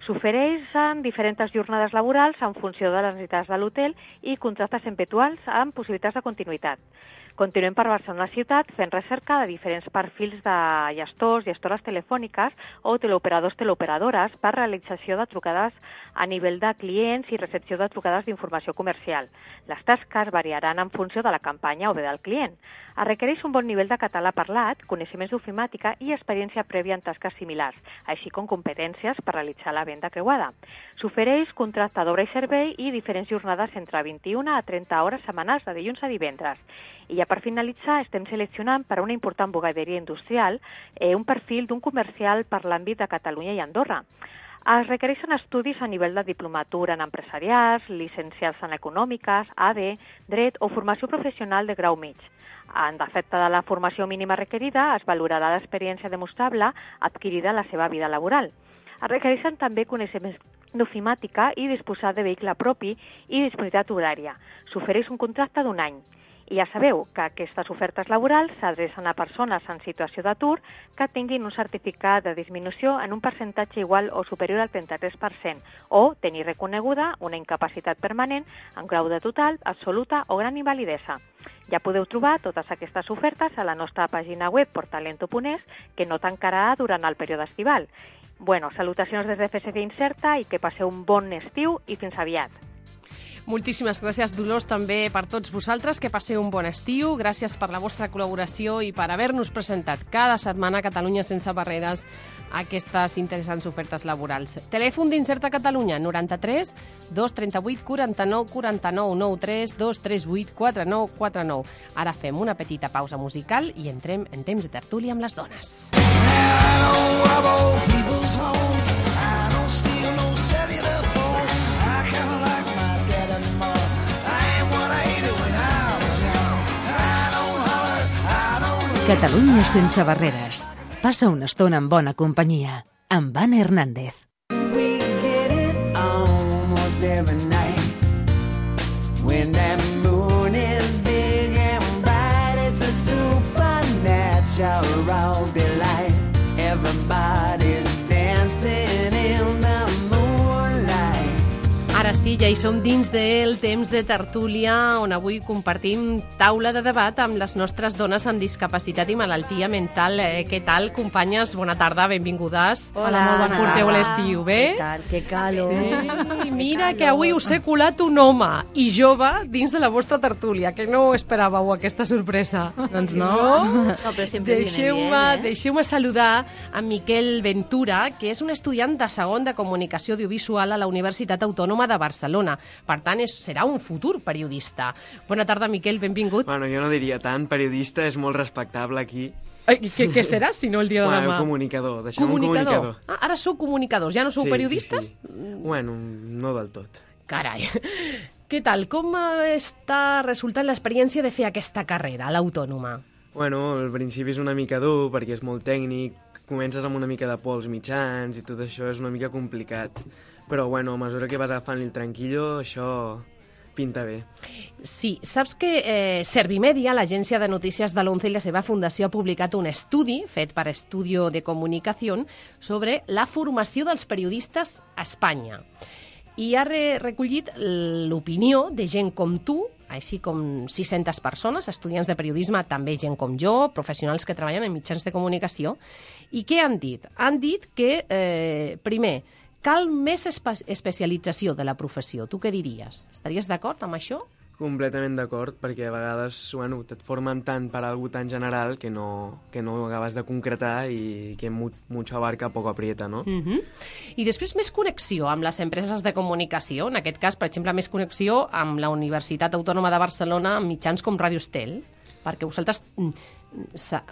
S'ofereixen diferents jornades laborals en funció de les necessitats de l'hotel i contractes eventuals amb possibilitats de continuïtat. Continuem per Barcelona ciutat fent recerca de diferents perfils de gestors, gestores telefòniques o teleoperadors, teleoperadores per realització de trucades a nivell de clients i recepció de trucades d'informació comercial. Les tasques variaran en funció de la campanya o bé del client. Es requereix un bon nivell de català parlat, coneixements d'ofimàtica i experiència prèvia en tasques similars, així com competències per realitzar la venda creuada. S'ofereix contracte d'obra i servei i diferents jornades entre 21 a 30 hores setmanals de dilluns a divendres. I ja per finalitzar estem seleccionant per a una important bugaderia industrial un perfil d'un comercial per l'àmbit de Catalunya i Andorra. Es requereixen estudis a nivell de diplomatura en empresarials, llicenciats en econòmiques, AD, dret o formació professional de grau mig. En defecte de la formació mínima requerida, es valorarà l'experiència demostrable adquirida en la seva vida laboral. Es requereixen també coneixements d'ofimàtica i disposar de vehicle propi i disponibilitat horària. S'ofereix un contracte d'un any. I ja sabeu que aquestes ofertes laborals s'adrecen a persones en situació d'atur que tinguin un certificat de disminució en un percentatge igual o superior al 33% o tenir reconeguda una incapacitat permanent en grau de total, absoluta o gran invalidesa. Ja podeu trobar totes aquestes ofertes a la nostra pàgina web portalento.es, que no tancarà durant el període estival. Salutacions des de FSD Incerta i que passeu un bon estiu i fins aviat. Moltíssimes gràcies, Dolors, també per tots vosaltres, que passeu un bon estiu. Gràcies per la vostra col·laboració i per haver-nos presentat cada setmana a Catalunya sense barreres aquestes interessants ofertes laborals. Telèfon d'Incerta Catalunya, 93 238 49 49 93 238 49 49. Ara fem una petita pausa musical i entrem en temps de tertúlia amb les dones. Catalunya sense barreres. Passa una estona en bona companyia. Amb Anna Hernández. We get it almost every night. When that moon is big and bright, it's a supernatural delight. Everybody's dancing in the moonlight. Ara sí, ja hi som dins del temps de tertúlia, on avui compartim taula de debat amb les nostres dones amb discapacitat i malaltia mental. Què tal, companyes? Bona tarda, benvingudes. Hola, molt bona Porteu tarda. l'estiu, bé? Què tal? Que calor. Sí, mira que avui us he colat un home i jove dins de la vostra tertúlia, que no esperàveu aquesta sorpresa. Doncs no. No, però sempre Deixeu-me saludar a Miquel Ventura, que és un estudiant de segon de Comunicació Audiovisual a la Universitat Autònoma de Barcelona. Per tant, serà un futur periodista. Bona tarda, Miquel, benvingut. Bueno, jo no diria tant. Periodista és molt respectable aquí. Què serà, si no, el dia de demà? Comunicador. Deixem un comunicador. Ah, ara sou comunicadors, ja no sou periodistes? Sí. Bueno, no del tot. Carai. Què tal? Com està resultant l'experiència de fer aquesta carrera a l'Autònoma? Bueno, al principi és una mica dur, perquè és molt tècnic, comences amb una mica de pols mitjans i tot això és una mica complicat. Però, bueno, a mesura que vas agafant el tranquillo, això pinta bé. Sí, saps que Servimedia, l'agència de notícies de l'11 i la seva fundació, ha publicat un estudi fet per Estudio de Comunicació sobre la formació dels periodistes a Espanya. I ha recollit l'opinió de gent com tu, així com 600 persones, estudiants de periodisme, també gent com jo, professionals que treballen en mitjans de comunicació. I què han dit? Han dit que, primer, cal més especialització de la professió. Tu què diries? Estaries d'acord amb això? Completament d'acord, perquè a vegades et formen tant per algo tan general que no acabes de concretar i que mucho abarca poco aprieta, no? I després més connexió amb les empreses de comunicació, en aquest cas, per exemple, més connexió amb la Universitat Autònoma de Barcelona, amb mitjans com Ràdio Estel, perquè vosaltres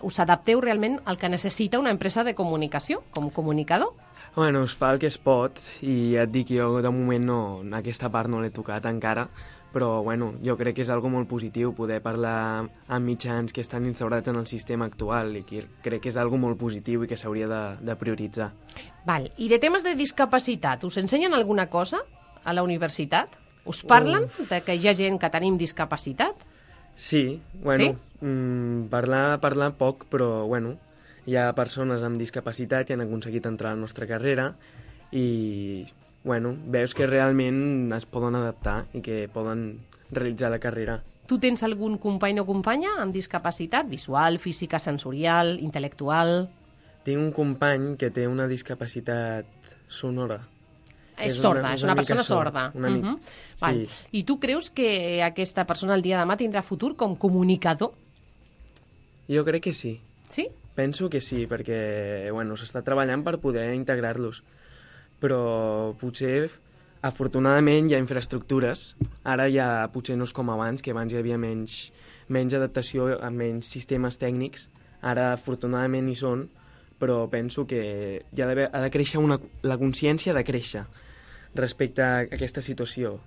us adapteu realment al que necessita una empresa de comunicació, com comunicador. Bueno, es fa el que es pot i et dic, jo de moment aquesta part no l'he tocat encara, però bueno, jo crec que és algo molt positiu poder parlar amb mitjans que estan instaurats en el sistema actual i que crec que és algo molt positiu i que s'hauria de prioritzar. Val. I de temes de discapacitat, us ensenyen alguna cosa a la universitat? Us parlen de que hi ha gent que tenim discapacitat? Sí, bueno, parlar poc, però bueno, hi ha persones amb discapacitat que han aconseguit entrar a la nostra carrera i bueno, veus que realment es poden adaptar i que poden realitzar la carrera. Tu tens algun company o companya amb discapacitat visual, física, sensorial, intel·lectual? Tinc un company que té una discapacitat sonora. És sorda, és una persona sorda. Sí. I tu creus que aquesta persona el dia de demà tindrà futur com comunicador? Jo crec que sí. Sí? Penso que sí, perquè bueno, s'està treballant per poder integrar-los. Però potser, afortunadament, hi ha infraestructures. Ara ja potser no és com abans, que abans hi havia menys adaptació, menys sistemes tècnics. Ara, afortunadament, hi són, però penso que ha de créixer la consciència de créixer respecte a aquesta situació.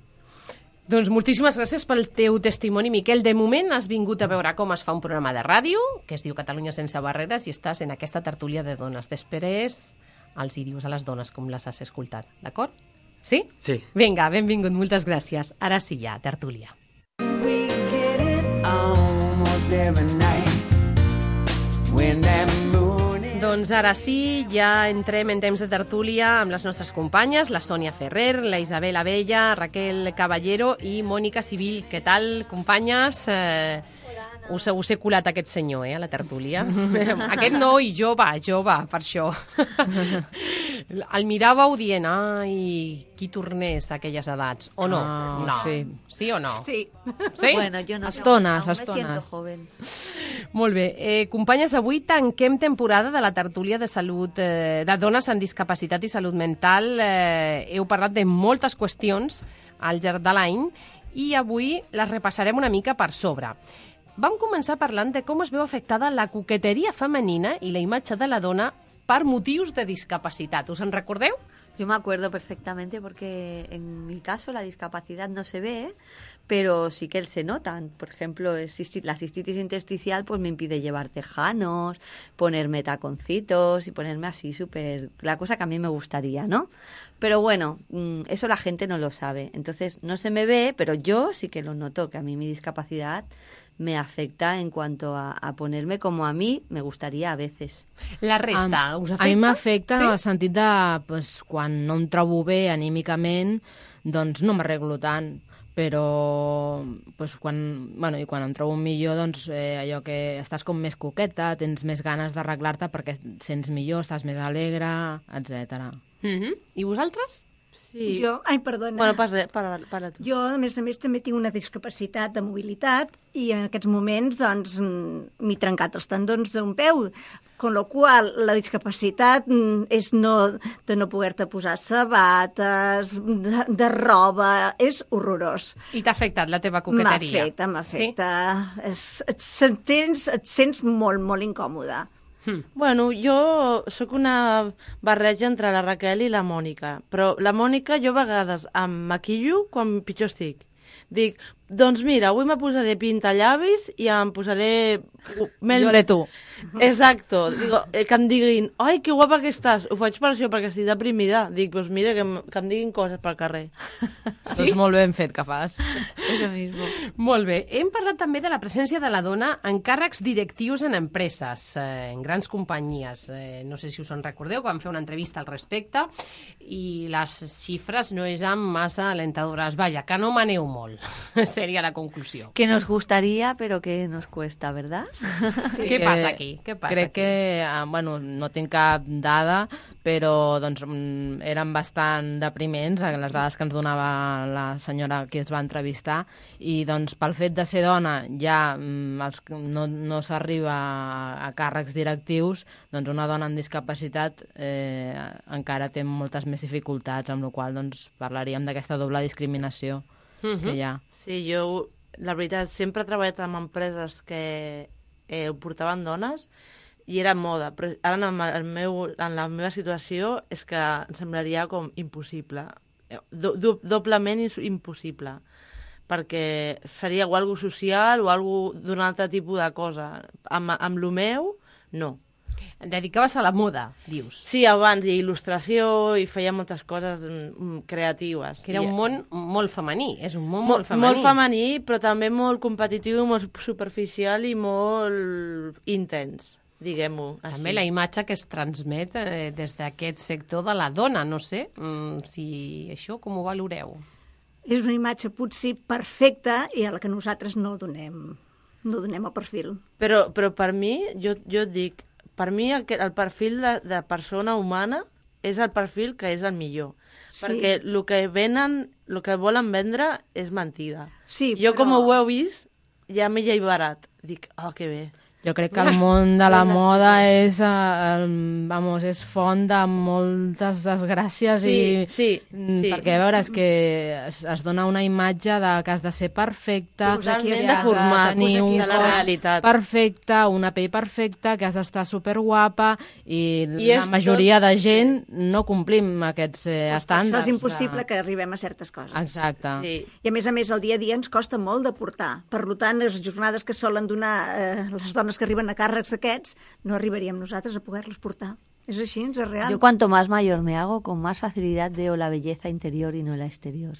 Doncs moltíssimes gràcies pel teu testimoni, Miquel. De moment has vingut a veure com es fa un programa de ràdio, que es diu Catalunya sense barreres, i estàs en aquesta tertúlia de dones. Després els hi dius a les dones com les has escoltat, d'acord? Sí? Sí. Vinga, benvingut, moltes gràcies. Ara sí, ja, tertúlia. We get it almost every night when that moon is... Doncs ara sí, ja entrem en temps de tertúlia amb les nostres companyes, la Sònia Ferrer, la Isabel Abella, Raquel Caballero i Mònica Civil. Què tal, companyes? Us he colat aquest senyor, a la tertúlia. Aquest noi, jove, per això. El miràveu dient, ai, qui tornés a aquelles edats, o no? No. Sí. Sí o no? Sí. Sí? Bueno, yo no. Estones, aún estones. me siento joven. Molt bé. Companyes, avui tanquem temporada de la tertúlia de salut de dones amb discapacitat i salut mental. Heu parlat de moltes qüestions al llarg de l'any i avui les repassarem una mica per sobre. Vam començar parlant de com es veu afectada la coqueteria femenina i la imatge de la dona per motius de discapacitat. Us en recordeu? Yo me acuerdo perfectamente porque en mi caso la discapacidad no se ve, pero sí que se notan. Por ejemplo, la cistitis intersticial pues me impide llevar tejanos, ponerme taconcitos y ponerme así súper... La cosa que a mí me gustaría, ¿no? Pero bueno, eso la gente no lo sabe. Entonces no se me ve, pero yo sí que lo noto, que a mí mi discapacidad me afecta en cuanto a ponerme como a mí me gustaría a veces. La resta, us afecta? A mi m'afecta Sí? en el sentit de pues, quan no em trobo bé anímicament, doncs no m'arreglo tant. Però pues, quan em trobo millor, doncs allò que estàs com més coqueta, tens més ganes d'arreglar-te perquè sents millor, estàs més alegre, etc. I vosaltres? Sí. Jo, perdona. Bueno, parla tu. Jo, a més, també tinc una discapacitat de mobilitat i en aquests moments, doncs, m'he trencat els tendons d'un peu, con lo qual la discapacitat és de no poder-te posar sabates, de roba, és horrorós. I t'ha afectat la teva coqueteria? M'afecta. Sí? Et sents molt, molt incòmoda. Bueno, jo sóc una barreja entre la Raquel i la Mònica, però la Mònica jo a vegades em maquillo quan pitjor estic. Dic, doncs mira, avui me posaré pintallavis i em posaré... Jo haré tu. Exacto. Digo, que em diguin, ai, que guapa que estàs. Ho faig per això, perquè estic deprimida. Dic, doncs mira, que em diguin coses pel carrer. Sí? Doncs molt ben fet que fas. Eso mismo. Molt bé. Hem parlat també de la presència de la dona en càrrecs directius en empreses, en grans companyies. No sé si us en recordeu, que vam fer una entrevista al respecte i les xifres no eren massa alentadores. Vaja, que no maneu molt, seria la conclusió. Que nos gustaría, pero que nos cuesta, ¿verdad? Sí, què passa aquí? Què passa crec aquí? que, bueno, no tinc cap dada, però doncs, eren bastant depriments les dades que ens donava la senyora que es va entrevistar i doncs, pel fet de ser dona ja no s'arriba a càrrecs directius, doncs una dona amb discapacitat encara té moltes més dificultats, amb la qual cosa doncs, parlaríem d'aquesta doble discriminació que hi ha. Sí, jo, la veritat, sempre he treballat amb empreses que ho portaven dones i era moda, però ara en la meva situació és que em semblaria com impossible, doblement impossible, perquè seria o algo social o algo d'un altre tipus de cosa. Amb lo meu, no. Et dedicaves a la moda, dius. Sí, abans, i il·lustració, i feia moltes coses creatives. Que era un món molt femení, és un món molt femení. Molt femení, però també molt competitiu, molt superficial i molt intens, diguem-ho així. També la imatge que es transmet des d'aquest sector de la dona, no sé si això com ho valoreu. És una imatge potser perfecta i a la que nosaltres no donem el perfil. Però per mi, jo et dic, per mi el perfil de persona humana és el perfil que és el millor. Sí. Perquè el que volen vendre és mentida. Sí, jo, com ho heu vist, ja m'he llevarat. Dic, que bé. Jo crec que el món de la moda és font de moltes desgràcies sí. Perquè, a veure, és que es dona una imatge que has de ser perfecta, totalment deformat, de tenir un de la realitat perfecte, una pell perfecta, que has d'estar superguapa i la majoria de gent no complim aquests estàndards. Això és impossible que arribem a certes coses. Exacte. Sí. I a més, el dia a dia ens costa molt de portar. Per tant, les jornades que solen donar les dones que arriben a càrrecs aquests, no arribaríem nosaltres a poder-los portar. És així, és real. Yo cuanto más mayor me hago, con más facilidad veo la belleza interior y no la exterior.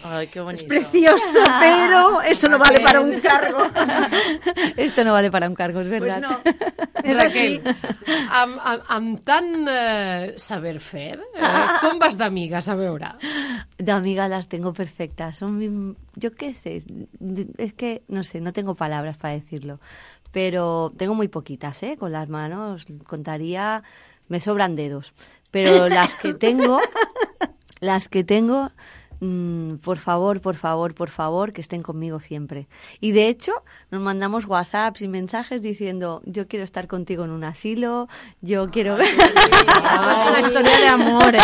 Ay, qué bonito. Es precioso, pero eso no vale para un cargo. Esto no vale para un cargo, es verdad. Pues no. És així. Amb tant saber fer, com vas d'amigues, a veure? De amigas las tengo perfectas. Yo qué sé, es que, no sé, no tengo palabras para decirlo. Pero tengo muy poquitas, con las manos contaría, me sobran dedos. Pero las que tengo, por favor, que estén conmigo siempre. Y de hecho, nos mandamos WhatsApps y mensajes diciendo, yo quiero estar contigo en un asilo, yo quiero... És una història d'amor,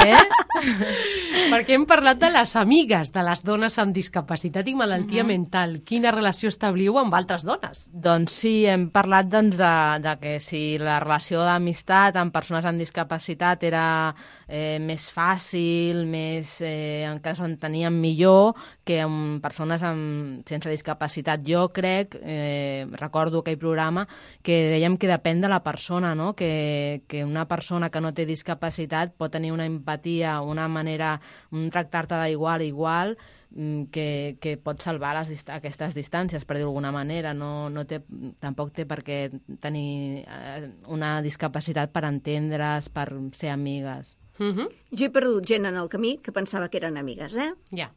Perquè hem parlat de les amigues de les dones amb discapacitat i malaltia mental. Quina relació establiu amb altres dones? Doncs sí, hem parlat de que si la relació d'amistat amb persones amb discapacitat era més fàcil, encara s'entenien millor que amb persones sense discapacitat. Jo crec, recordo aquell programa, que dèiem que depèn de la persona, no? Que una persona que no té discapacitat pot tenir una empatia, una manera, un tractar-te d'igual a igual, que pot salvar aquestes distàncies, per dir d'alguna manera. Tampoc té per què tenir una discapacitat per entendre's, per ser amigues. Jo he perdut gent en el camí que pensava que eren amigues, Ja.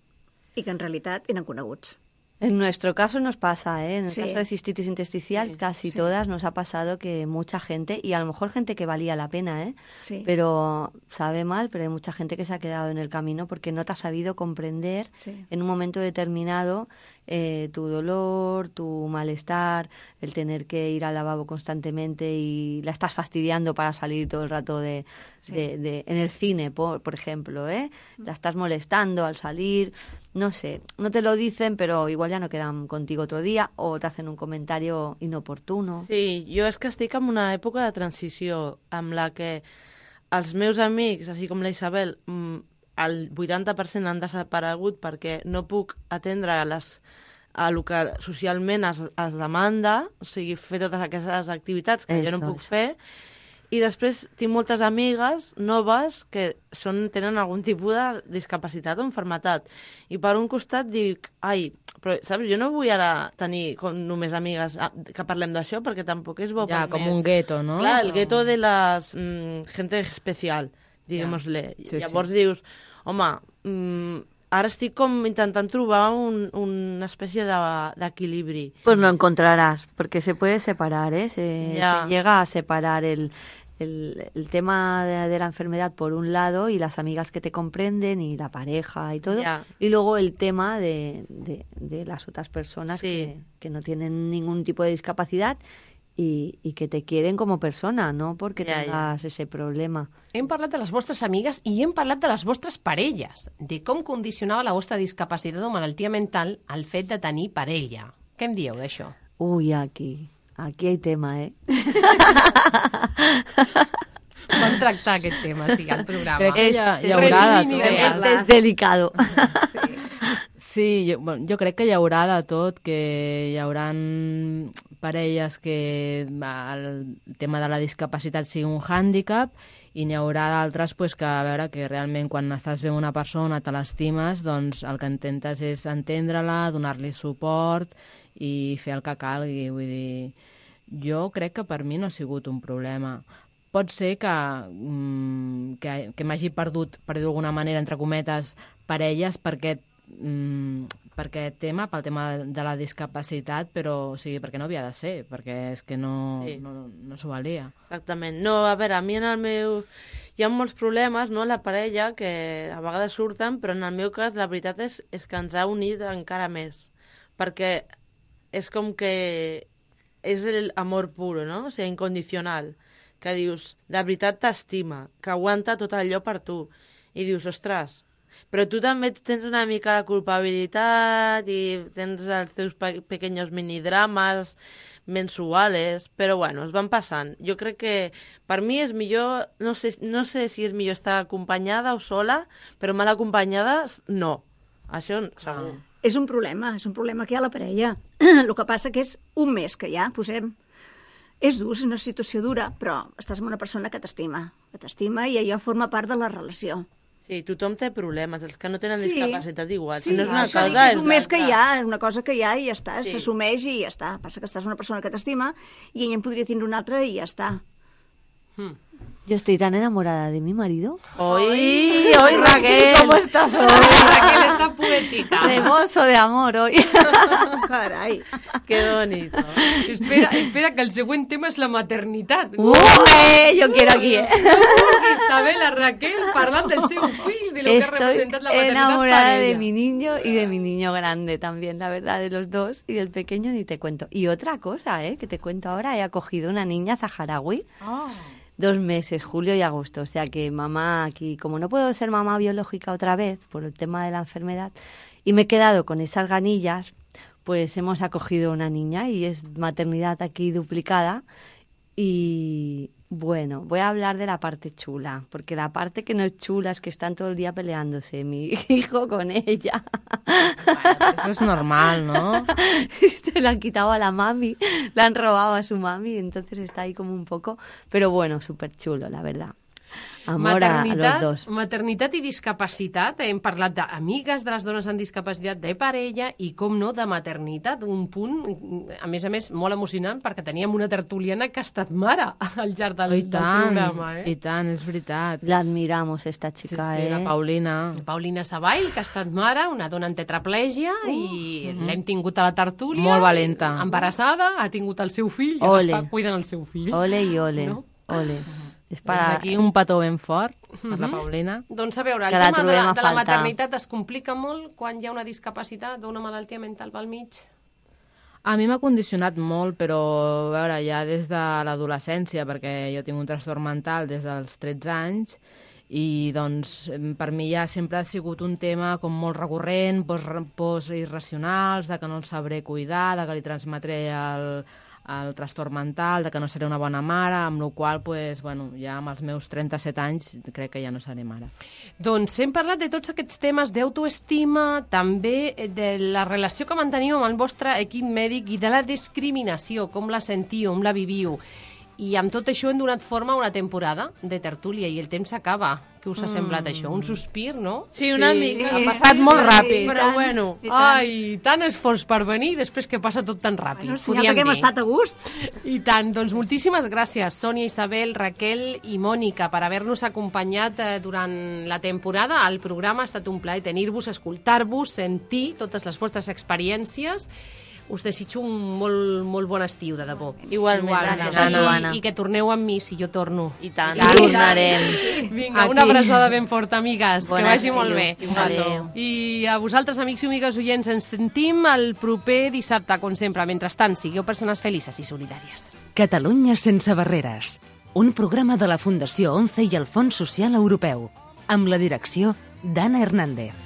I que en realitat eren coneguts. En nuestro caso nos pasa, en el Sí. caso de cistitis intersticial, casi todas nos ha pasado que mucha gente, y a lo mejor gente que valía la pena, Sí. pero sabe mal, pero hay mucha gente que se ha quedado en el camino porque no te ha sabido comprender Sí. en un momento determinado tu dolor, tu malestar, el tener que ir al lavabo constantemente y la estás fastidiando para salir todo el rato en el cine, por ejemplo, la estás molestando al salir, no sé, no te lo dicen, pero igual ya no quedan contigo otro día o te hacen un comentario inoportuno. Sí, jo és que estic en una època de transició amb la que els meus amics, així com la Isabel, el 80% han desaparegut perquè no puc atendre a lo que socialment es demanda, o sigui, fer totes aquestes activitats que jo no puc fer, i després tinc moltes amigues noves que tenen algun tipus de discapacitat o malaltia. I per un costat dic, però, saps, jo no vull ara tenir només amigues que parlem d'això, perquè tampoc és bo per mi. Ja, com un gueto, no? Clar, el gueto de la gente especial, diguem-li. Sí, Llavors dius, home, ara estic com intentant trobar una espècie d'equilibri. Pues lo encontrarás, porque se puede separar, ¿eh? Se llega a separar el tema de la enfermedad por un lado y las amigas que te comprenden y la pareja y todo, y luego el tema de las otras personas que no tienen ningún tipo de discapacidad i que te quieren com a persona, no perquè tengas ese problema. Hem parlat de les vostres amigues i hem parlat de les vostres parelles, de com condicionava la vostra discapacitat o malaltia mental el fet de tenir parella. Què em dieu d'això? Ui, aquí hay tema, ¿eh? Vam tractar aquest tema, sí, al programa. Crec que hi haurà de tot. És delicado. Sí, jo crec que hi haurà de tot, que hi hauran parelles que el tema de la discapacitat sigui un hàndicap i n'hi haurà d'altres que, a veure, que realment quan estàs bé amb una persona, te l'estimes, doncs el que intentes és entendre-la, donar-li suport i fer el que calgui. Vull dir, jo crec que per mi no ha sigut un problema. Pot ser que m'hagi perdut, per dir d'alguna manera, entre cometes, parelles per aquest tema, pel tema de la discapacitat, però o sigui, perquè no havia de ser, perquè és que no s'ho valia. Exactament. No, a veure, a mi en el meu... Hi ha molts problemes, no?, en la parella, que a vegades surten, però en el meu cas la veritat és que ens ha unit encara més, perquè és com que és l'amor puro, no?, o sigui, incondicional, que dius, de veritat t'estima, que aguanta tot allò per tu, i dius, ostres, però tu també tens una mica de culpabilitat i tens els teus pequeños minidrames mensuales, però bueno, es van passant. Jo crec que per mi és millor, no sé si és millor estar acompanyada o sola, però mal acompanyada no. Això segur. És un problema que hi ha a la parella. El que passa que és un mes que hi ha, posem. És dur, és una situació dura, però estàs amb una persona que t'estima i allò forma part de la relació. Sí, tothom té problemes, els que no tenen discapacitat igual. Sí, si no és una cosa, és un mes que hi ha, una cosa que hi ha i ja està, s'assumeix i ja està. Passa que estàs amb una persona que t'estima i ella en podria tindre una altra i ja està. Yo estoy tan enamorada de mi marido. ¡Hoy, Raquel! ¿Cómo estás hoy? Raquel está poética. Rebozo de amor hoy. Carai. ¡Qué bonito! Espera, que el següent tema és la maternitat. Yo quiero aquí, ¿eh? Isabel, Raquel, parlant del seu fill, de lo que ha representat la maternitat enamorada para de ella. mi niño y de mi niño grande también, la verdad, de los dos. Y del pequeño ni te cuento. Y otra cosa, que te cuento ahora, he acogido una niña saharaui. 2 meses, julio y agosto. O sea que mamá aquí, como no puedo ser mamá biológica otra vez por el tema de la enfermedad, y me he quedado con esas ganillas, pues hemos acogido una niña y es maternidad aquí duplicada. Y bueno, voy a hablar de la parte chula, porque la parte que no es chula es que están todo el día peleándose mi hijo con ella. Bueno, eso es normal, ¿no? Se la han quitado a la mami, la han robado a su mami, entonces está ahí como un poco... Pero bueno, súper chulo, la verdad. Amor a los dos. Maternitat i discapacitat. Hem parlat d'amigues de les dones amb discapacitat, de parella i, com no, de maternitat. Un punt, a més, molt emocionant, perquè teníem una tertuliana que ha estat mare al llarg del programa. I tant, és veritat. La admiramos, esta chica, Sí, la Paulina. Paulina Savall, que ha estat mare, una dona amb tetraplègia, i l'hem tingut a la tertúlia. Molt valenta. Embarassada, ha tingut el seu fill, i Ole. està cuidant el seu fill. Ole i ole, No? ole. És Des d'aquí un petó ben fort per la Paulina. Doncs a veure, el Que la tema trobem a de la faltar. maternitat es complica molt quan hi ha una discapacitat o una malaltia mental pel mig? A mi m'ha condicionat molt, però a veure, ja des de l'adolescència, perquè jo tinc un trastorn mental des dels 13 anys, i doncs per mi ja sempre ha sigut un tema com molt recurrent, pors irracionals, de que no el sabré cuidar, de que li transmetré el trastorn mental, de que no seré una bona mare, amb la qual pues, bueno, ja amb els meus 37 anys crec que ja no seré mare. Doncs hem parlat de tots aquests temes d'autoestima, també de la relació que manteniu amb el vostre equip mèdic i de la discriminació, com la sentiu, com la viviu. I amb tot això hem donat forma a una temporada de tertúlia i el temps s'acaba. Què us ha semblat això? Un sospir, no? Sí, una mica. Ha passat molt ràpid. Però bueno. Ai, tant esforç per venir i després que passa tot tan ràpid. Bueno, senyal que hem estat a gust. I tant. Doncs moltíssimes gràcies, Sònia, Isabel, Raquel i Mònica, per haver-nos acompanyat durant la temporada. El programa ha estat un plaer tenir-vos, escoltar-vos, sentir totes les vostres experiències. Us desitjo un molt bon estiu, de debò. Igualment, gràcies, Anna. I que torneu amb mi, si jo torno. I tant. Tornarem. Vinga, una abraçada ben forta, amigues. Bon que vagi estiu. molt bé. Adéu. I a vosaltres, amics i amigues oients, ens sentim el proper dissabte, com sempre. Mentrestant, sigueu persones felices i solidàries. Catalunya sense barreres. Un programa de la Fundació ONCE i el Fons Social Europeu. Amb la direcció d'Anna Hernández.